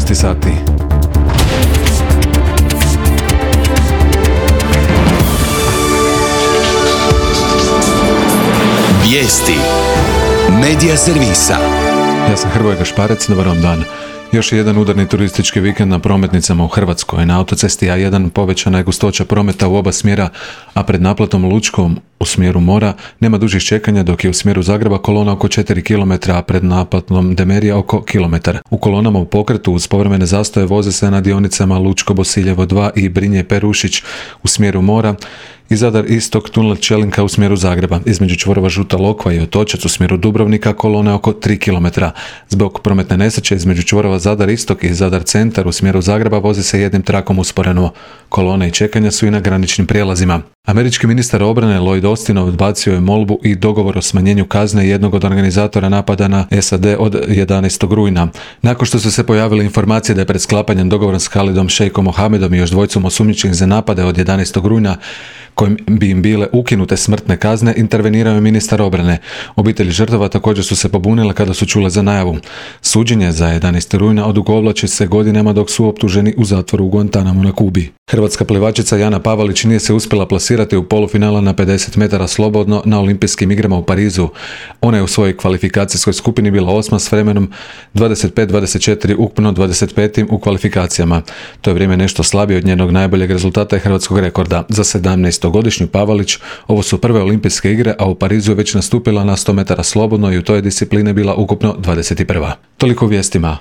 11 sati. Vijesti Medija servisa. Ja sam Hrvoje Gašparec, dobar vam dan. Još jedan udarni turistički vikend na prometnicama u Hrvatskoj. Na autocesti A1 povećana je gustoća prometa u oba smjera, a pred naplatom Lučkom u smjeru mora nema dužih čekanja, dok je u smjeru Zagreba kolona oko 4 km, a pred naplatom Demerija oko kilometar. U kolonama u pokretu uz povremene zastoje voze se na dionicama Lučko-Bosiljevo 2 i Brinje-Perušić u smjeru mora i Zadar Istok tunel Čelinka u smjeru Zagreba. Između čvorova Žuta Lokva i Otočac u smjeru Dubrovnika kolone oko 3 km. Zbog prometne nesreće između čvorova Zadar Istok i Zadar Centar u smjeru Zagreba vozi se jednim trakom usporeno. Kolone i čekanja su i na graničnim prijelazima. Američki ministar obrane Lloyd Austin odbacio je molbu i dogovor o smanjenju kazne jednog od organizatora napada na SAD od 11. rujna. Nakon što su se pojavile informacije da je pred sklapanjem dogovora s Khalidom Šeikom Mohamedom i još dvojicom osumnjičenih za napade od 11. rujna kojim bi im bile ukinute smrtne kazne, intervenirao je ministar obrane. Obitelji žrtava također su se pobunile kada su čule za najavu. Suđenje za 11. rujna odugovlači se godinama dok su optuženi u zatvoru u Guantanamu na Kubi. Hrvatska plivačica Jana Pavalić nije se uspjela plasirati u polufinala na 50 metara slobodno na Olimpijskim igrama u Parizu. Ona je u svojoj kvalifikacijskoj skupini bila 8. s vremenom 25-24, ukupno 25. u kvalifikacijama. To je vrijeme nešto slabije od njenog najboljeg rezultata i hrvatskog rekorda. Za 17-godišnju Pavalić ovo su prve olimpijske igre, a u Parizu je već nastupila na 100 metara slobodno i u toj disciplini bila ukupno 21. Toliko u vijestima.